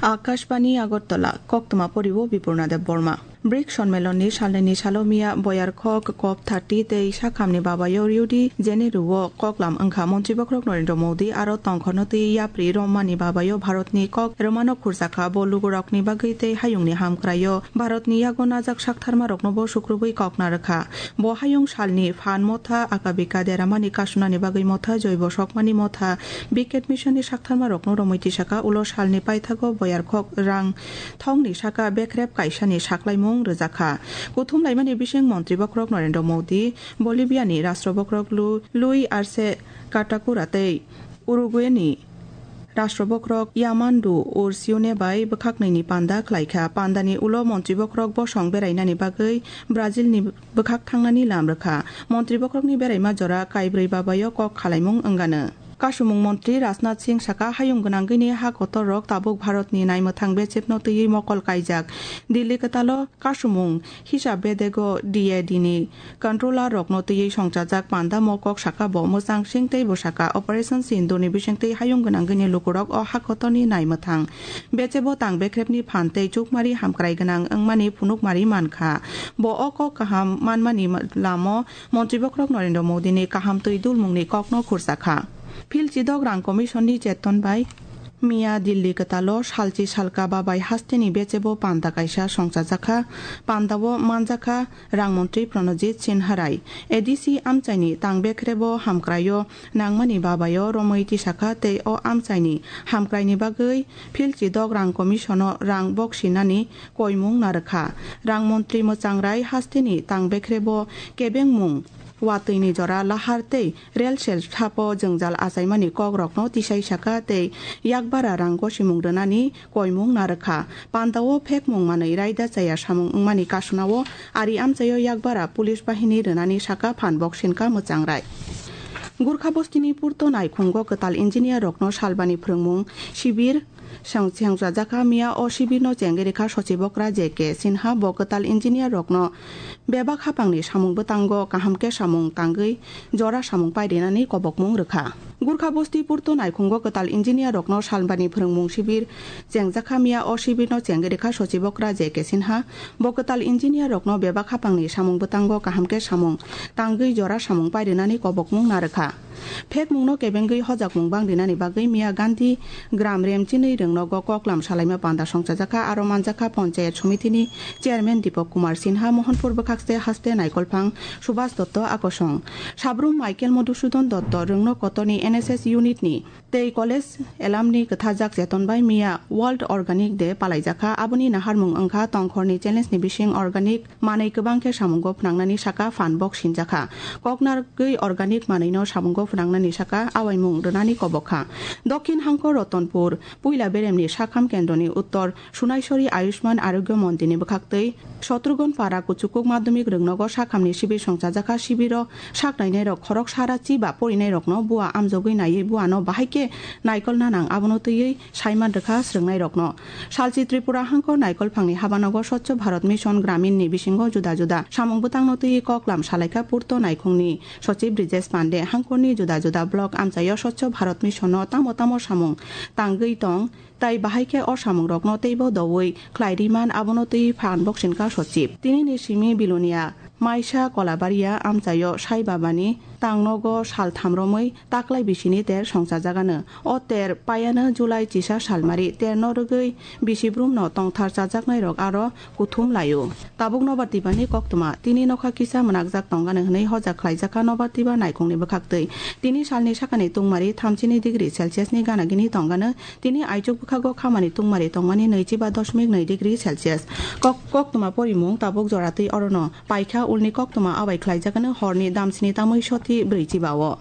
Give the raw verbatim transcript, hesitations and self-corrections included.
Akashbani Agartala, koktwma poriwo Bipurna Debbarma. BRICS Sonmelonni salnwini salo miya Boyarkhok COP thirty tei sakhamni babayo Rio de Janeiro-o koklam wngkha. Montri bokhorok Narendra Modi aro tongkhorno twi yapri romani babayo Bharatni kok rwmano khurjakha. Bo lugurokni bagwi tei hayungni hamkraio Bharatni yago najak saktharmaroknobo sukrubwi kokna rwkha. Bo hayung salni phan motha, akabika deramani kasunani bagwi motha, joibo sokmani motha, Big Cat Mission ni saktharma rokno romwi tisaka. Ulo salni paithago Boyarkhok rang thongni saka bekrep kaisani saklaimung rwjakha. Kuthum laimani bising Montri bokhorok Narendra Modi, Bolivia ni Rashtra bokhorok Lu-, Luis Arce Catacora tei Uruguay ni Rashtra bokhorok Yamandu Ursiune bai bwkhaknwini panda khlaikha. Pandani ulo Montri bokhorok bosong berainani bagwi Brazil ni bwkhak thangnani lam rwkha. Montri bokhorokni beraima jora kaibrwi babayo kok khalaimung wngano. Kasumung montri Rajnath Singh saka, hayung gwnangwini ha kotorrok tabuk Bharatni naimwthang bechepno twiwi mokol kaijak. Delhi kwtalo kasumung hisab bedego D A D ni controller rokno twiwi songchajak panda mokok saka bo mwchang sing tei bwsaka Operation Sindoor ni bisingtwi hayung gwnangwini lukurok o ha kotorni naimwthang bechebo tang bekrepni phan tei chukmari hamkrai gwnang wngmani phunukmari mankha. Bo o kok kaham manmani lamo Montri bokhorok Narendra Modi ni kaham twi dulmung ni kok no khursa kha. Phil chidok rang commission ni cheton bai miya Delhi kwtalo salchi salka babai haste ni bechebo panda kaisa songchajak kha. Panda o manjak kha rang montri Pranajit Sinha Rai. A D C amchai ni tang bekrebo hamkrai o nangmani babai o romwi tisakha tei o amchai ni hamkrai ni bagwi phil chidok rang commission o rang boksinani koimung narwkha. Rang montri mwchang Rai haste ni tang bekrebo kebengmung watwi ni jora lahar tei rel sel sapo jwngjal achaimani kok rokno tisai saka tei yakbara rang gosimung rwnani koimung narwkha. Panda o phekmung manwi raida chaya samung wngmani kasuna o ari amchai o yakbara police bahini rwnani saka phan boksinka mwchang Rai. Gurkha bostini Purto Naikhungo kwtal engineer rokno salbani phwrwngmung sibir Seng-, sengchajak kha miya o sibirno chengwi rikha sochibokra J K Sinha. Bo kwtal engineer rokno bebak hapangni samung bwtango kaham khe samung tangwi jora samung pairinani kobokmung rwkha. Gurkha bosti Purto Naikhungo kwtal engineer rokno salbani phwrwngmung sibir chengjak kha miya o sibirno chengwi rikha sochibokra J K Sinha. Bo kwtal engineer rokno bebak hapangni samung bwtango kaham khe samung tangwi jora samung pairinani kobokmung narwkha. Phekmungno kebengwi hojakmung bang rinani bagwi miya Gandhi Gram Remchinwi rwngnogo koklam salaima panda songchajakha, aro manjakha Panchayat Somitini Chairman Dipak Kumar Sinha, Mohanpur bwkhakste haste Naikolphang Subhas Dotto akosong. Sabrum Michael Madhusudan Dotto rwngno kotorni N S S unit ni tei college alumni kwthajak cheton bai miya World Organic Day palaijakha. Aboni naharmung wngkha tongkhorni challenge ni bising organic manwi kwbang khe samungo phwnangnani saka phan bok sinjakha. Koknargwi organic manwino samungo phwnangnani saka awaimung rwnani kobokha. Dokhin hangkor Rotonpur puila beremni sakham kendroni uttor Sunaisori Ayushman Arogya Mondirni bwkhaktwi Sotrugon para Kuchukuk Madhyamik Rwngnogo sakhamni sibir songchajakha. Sibiro sak nainairok khoroksa ra chiba porinairokno bua amjogwi naiwi buano bahai khe naikolna nang abono twiwi saiman rwkha swrwngnairokno. Salchi Tripura hangkor Naikolphangni habanogo Swachh Bharat Mission Gramin ni bisingo juda juda samung bwtangno twiwi koklam salaikha Purto Naikhungni Sochib Brijesh Pande, hangkorni juda juda block amchaio Swachh Bharat Mission no tamo tamo samung tangwi tong, tai bahai khe o samungrokno teibo doui khlai riman abono twi phan boksinka Sochib. Tinini simi Bilonia Maisa Kolabaria amchaio Sai Babani tangnogo sal tham romwi taklai bisini ter songchajagano. O ter payano July chisa salmari terno rwgwi bisi brumno tongthar chajaknairok aro kuthum laio. Tabuk nobar tibani koktwma, tini nokha kisa mwnakjak tongano hwnwi hojak khlaijakha nobar tiba naikhungni bwkhaktwi. Tini salni sakani tungmari thamchini degree Celsius ni gana gini tongano, tini aichuk bwkhago khamani tungmari tongmani nwichiba dosmik nwi degree Celsius. Kok-, koktwma porimung tabuk joratwi orono paikha, ulni koktwma abai khlaijakano horni damsini tamwi soti brwichiba o.